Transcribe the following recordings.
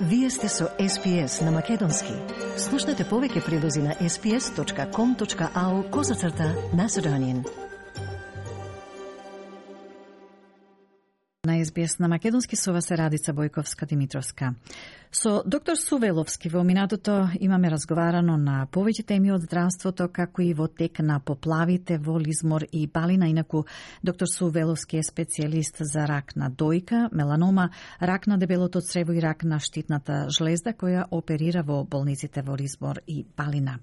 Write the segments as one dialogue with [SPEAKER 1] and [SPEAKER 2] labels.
[SPEAKER 1] Вие сте со SPS на Македонски. Слушнете повеќе прилози на sps.com.au/Macedonian.
[SPEAKER 2] На SBS на Македонски со вас е Радица Бојковска-Димитровска. Со доктор Сувеловски во минатото имаме разговарано на повеќе теми од здравството, како и во тек на поплавите во Лизмор и Балина. Инаку, доктор Сувеловски е специјалист за рак на дојка, меланома, рак на дебелото црево и рак на штитната жлезда, која оперира во болниците во Лизмор и Балина.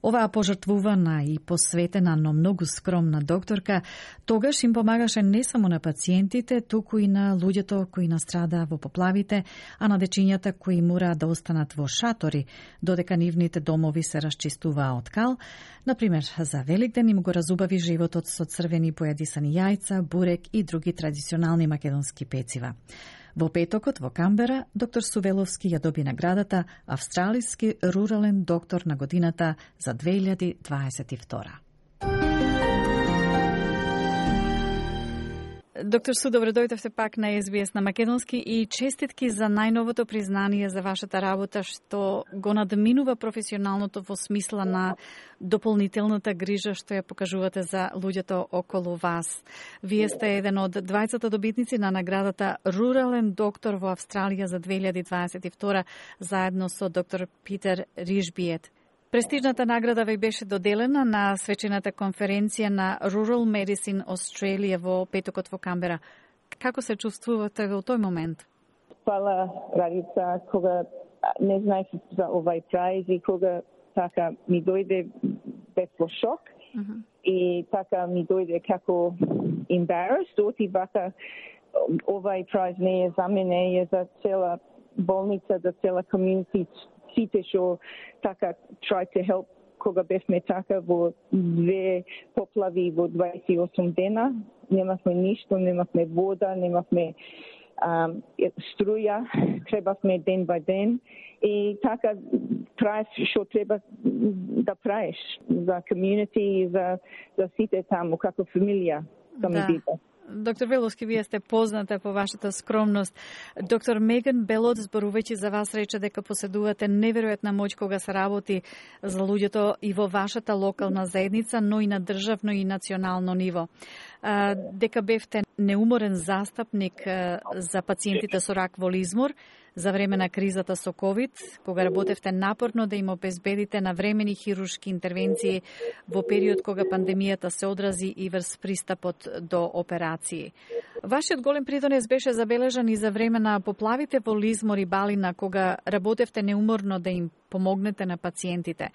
[SPEAKER 2] Оваа пожртвувана и посветена, но многу скромна докторка тогаш им помагаше не само на пациентите, туку и на луѓето кои настрадаа во поплавите, а на дечињата кои мора да останат во шатори, додека нивните домови се расчистуваа од кал. Например, за Великден им го разубави животот со црвени појадисани јајца, бурек и други традиционални македонски пецива. Во петокот во Камбера, доктор Сувеловски ја доби наградата Австралиски рурален доктор на годината за 2022. Доктор Су, добро дојдовте пак на SBS на Македонски и честитки за најновото признание за вашата работа, што го надминува професионалното во смисла на дополнителната грижа што ја покажувате за луѓето околу вас. Вие сте еден од двајцата добитници на наградата Рурален доктор во Австралија за 2022 заедно со доктор Питер Ришбиет. Престижната награда ви беше доделена на свечената конференција на Rural Medicine Australia во петокот во Камбера. Како се чувствувате во тој момент?
[SPEAKER 3] Фала, Радица, кога не знаев за овај праиз и кога така ми дојде бев во шок и така ми дојде како embarrassed, оти вака овај праиз не е за мене, е за цела болница, за цела community. Сите што така try to help кога бевме така во две поплави во 28 дена. Немавме ништо, немавме вода, немавме струја, требавме ден бај ден. И така правиш што треба да правиш за community, за сите таму, како фамилија.
[SPEAKER 2] Да. Доктор Веловски, вие сте позната по вашата скромност. Доктор Меган Белот, зборувајќи за вас, рече дека поседувате неверојатна моќ кога се работи за луѓето и во вашата локална заедница, но и на државно и национално ниво. Дека бевте неуморен застапник за пациентите со рак во Лизмор за време на кризата со COVID, кога работевте напорно да им обезбедите навремени хируршки интервенции во период кога пандемијата се одрази и врз пристапот до операции. Вашиот голем придонес беше забележан и за време на поплавите во Лизмор и Балина, кога работевте неуморно да им помогнете на пациентите.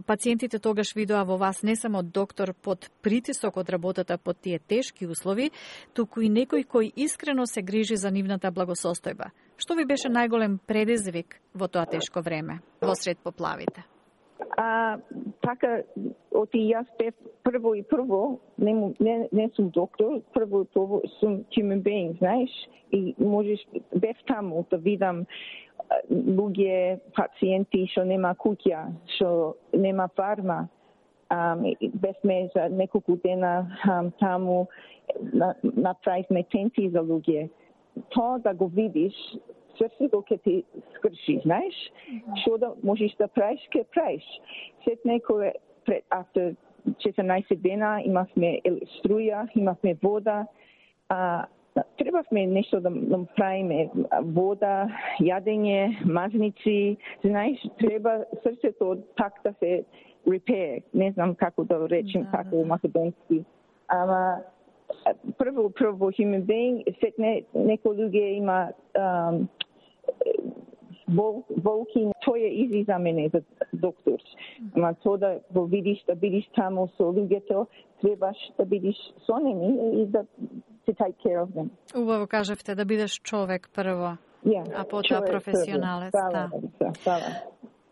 [SPEAKER 2] Пациентите тогаш видоа во вас не само доктор под притисок од работата под тие тешки услови, туку и некој кој искрено се грижи за нивната благосостојба. Што ви беше најголем предизвик во тоа тешко време, во сред поплавите?
[SPEAKER 3] Така, оти јас бев прво, не сум доктор, прво сум human being, знаеш, и можеш, бев таму да видам луѓе, пациенти што нема куќа, што нема фарма. Бевме за неколку дена таму, направивме тенти за луѓе. Тоа да го видиш, свесто ќе ти скрши, знаеш? Што да можеш да правиш, ќе правиш. След некој пред after 14 дена имавме струја, имавме вода, требавме нешто да правиме, вода, јадење, мазници, знаеш, треба срцето так да се repair, не знам како да речем како македонски. Ама прво human being, след некој луѓе има болки, тоа е изи за мене, за доктор. Ама тоа да го видиш, да бидиш таму со луѓето, требаш да бидиш со ними и да to take care of them.
[SPEAKER 2] Убаво кажавте да бидеш човек прво, а потоа професионалец.
[SPEAKER 3] Да.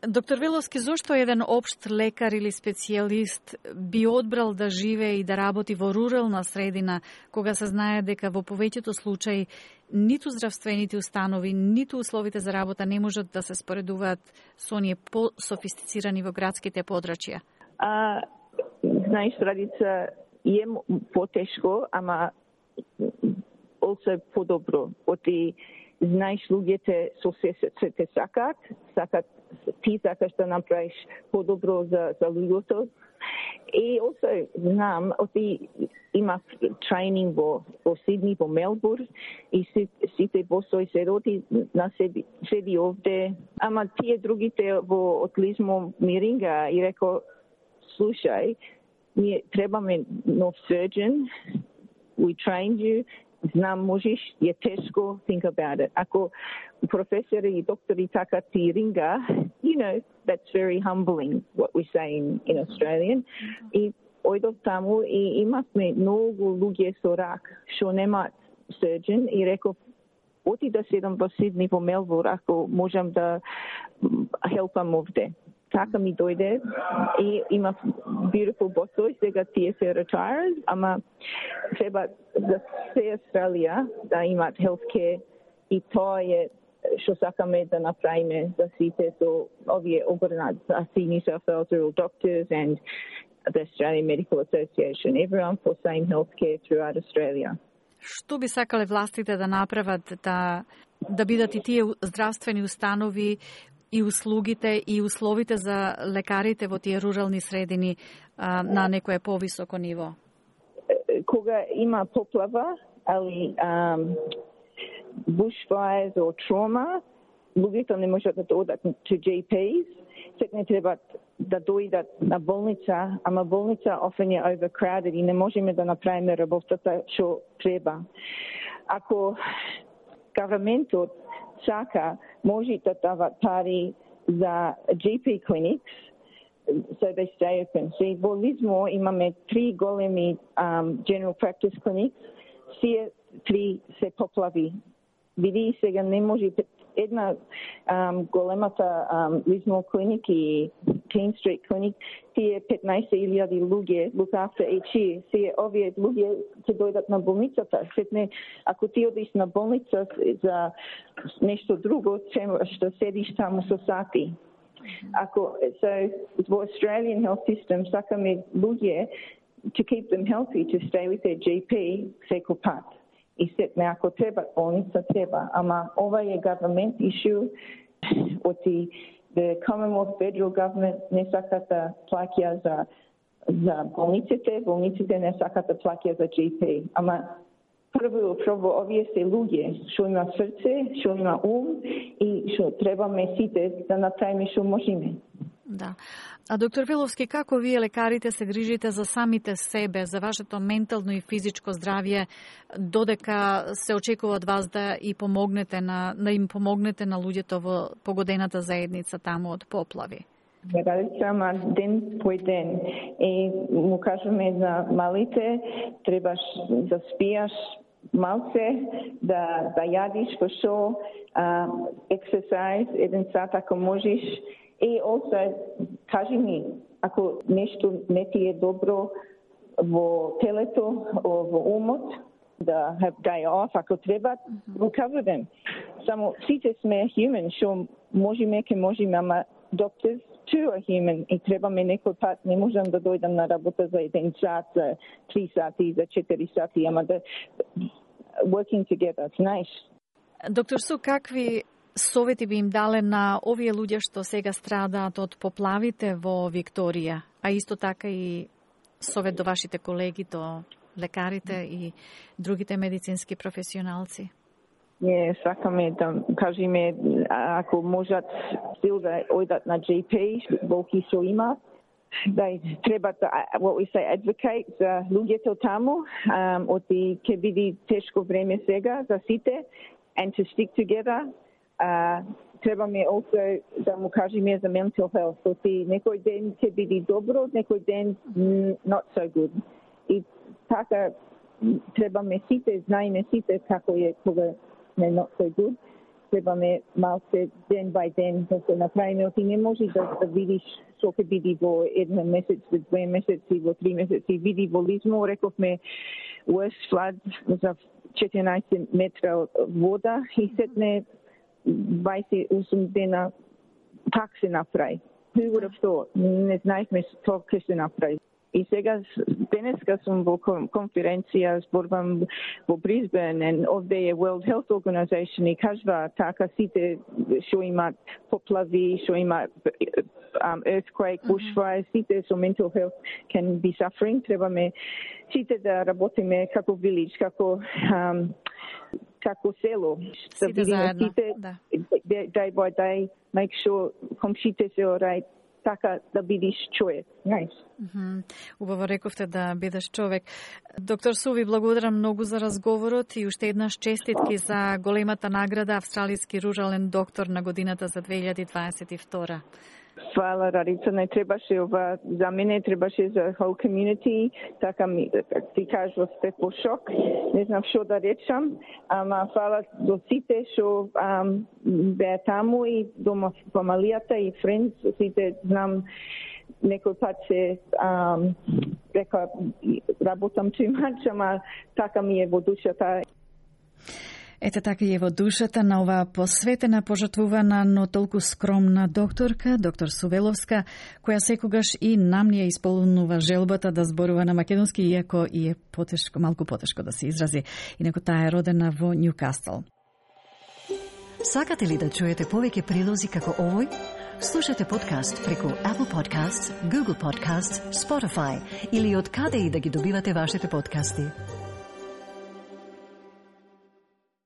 [SPEAKER 2] Доктор Веловски, зошто еден општ лекар или специјалист би одбрал да живее и да работи во рурална средина, кога се знае дека во повеќето случаи ниту здравствените установи, ниту условите за работа не можат да се споредуваат со оние по-софистицирани во градските подрачја?
[SPEAKER 3] Знаеш, Радица, е потешко, ама also подобро. Оти знаеш луѓето со се те сакат, ти сакаш да направиш подобро за луѓето. И also знам, има тренинг во Сидни, во Мелбурн, и сите босови се роди на седи овде. Ама тие другите во отлизмо миринга и реко, слушај, ние требаме нов surgeon, we trained you, знам можеш, е тешко, think about it. Ако професори и доктори така ти ринга, that's very humbling, what we say in Australian. И ојдов таму и имавме многу луѓе со рак, што немаат surgeon, и реков, оти да седам во Сидни, во Мелбурн, ако можам да helpам овде. Така ми дојде и имав beautiful босови, сега тие се retired, ама треба за се Австралија да имаат healthcare и тоа е што сакаме да направиме за сите со овие организации, New South Wales Rural Doctors and the Australian Medical Association, everyone for same healthcare throughout Australia.
[SPEAKER 2] Што би сакале властите да направат да бидат и тие здравствени установи и услугите и условите за лекарите во тие рурални средини на некое повисоко ниво?
[SPEAKER 3] Кога има поплава, али bushfires or trauma, луѓето не можат да дојдат to GPs, сек не треба да дојдат на болница, ама болница often е overcrowded и не можеме да направиме работата што треба. Ако governmentот сака, може да дава пари за GP clinics, so they stay open. So, во Лизмо имаме 3 големи general practice clinics, сие 3 се поплави. Види сега не може една големата Лизмо клиник и King Street клиник, тие 15,000 луѓе look after each year. Сие овие луѓе ќе дојдат на болницата. Сетне, ако ти одиш на болница за нешто друго, што седиш таму со сати. So, во Australian health system, сакаме луѓе to keep them healthy, to stay with their GP секој пат. И сетне, ако треба болница, треба. Ама ова е government issue, оти the Commonwealth Federal Government не сакат да плаќа за болниците не сакат да плаќа за GP. Ама прво овие се луѓе што има срце, што има ум и што требаме сите да направиме што можеме.
[SPEAKER 2] Да. А доктор Веловски, како вие лекарите се грижите за самите себе, за вашето ментално и физичко здравје, додека се очекува од вас да им помогнете на луѓето во погодената заедница таму од поплави?
[SPEAKER 3] Ради сама ден по ден. И му кажеме за малите, требаш да спијаш малце, да јадиш по шо, exercise, 1 сат ако можеш. И also, кажи ми, ако нешто не ти е добро во телето, во умот, да have day off, ако треба, recover them. Само сите сме human, што можеме, ама doctors too are human и требаме некој пат, не можам да дојдам на работа за 1 сат, за 3 сати, за 4 сати, ама да working together, it's nice.
[SPEAKER 2] Доктор Су, какви совети би им дале на овие луѓе што сега страдаат од поплавите во Викторија, а исто така и совет до вашите колеги, до лекарите и другите медицински професионалци?
[SPEAKER 3] Не, сакаме да кажеме, ако можат стил да ојдат на GP, болки што имаат, да треба да, what we say, advocate за луѓето таму, оти ќе биде тешко време сега за сите, and to stick together. Требаме also да му кажеме за mental health. Оти некој ден ќе биде добро, некој ден not so good. И така требаме сите, знаеме сите како е кога не not so good. Требаме малце ден by ден да се направиме. Оти не може да видиш што ќе биде во 1 месец, во 2 месеци, во 3 месеци. Види во Лизмо, рековме worst flood за 14 метра вода и сетне 28 дена пак се направи. Who would have thought? Не знаехме што ќе се направи. И сега денеска сум во конференција, зборувам во Брисбен, and овде е World Health Organization и кажува така сите што имаат поплави, што имаат earthquake, bushfire, сите со mental health can be suffering. Требаме сите да работиме како village, како село.
[SPEAKER 2] Сите заедно,
[SPEAKER 3] да. Day by day, make sure комшите се alright, така да бидеш човек. Nice.
[SPEAKER 2] Убаво рековте да бидеш човек. Доктор Су, ви благодарам многу за разговорот и уште еднаш честитки за големата награда Австралиски рурален доктор на годината за 2022.
[SPEAKER 3] Фала, Радица, не требаше ова, за мене требаше за whole community, така ми, ти кажува, сте по шок, не знам што да речам, ама фала до сите што беа таму и до фамилијата и friends, сите знам, некој пат се река, работам too much, ама така ми е во душата.
[SPEAKER 2] Ете така и е во душата на оваа посветена, пожртвувана, но толку скромна докторка, доктор Сувеловска, која секогаш и нам ни ја исполнува желбата да зборува на македонски, иако и е потешко, малку потешко да се изрази. Инаку таа е родена во Ньюкасл.
[SPEAKER 1] Сакате ли да чуете повеќе прилози како овој? Слушате подкаст преку Apple Podcasts, Google Podcasts, Spotify или од каде и да ги добивате вашите подкасти.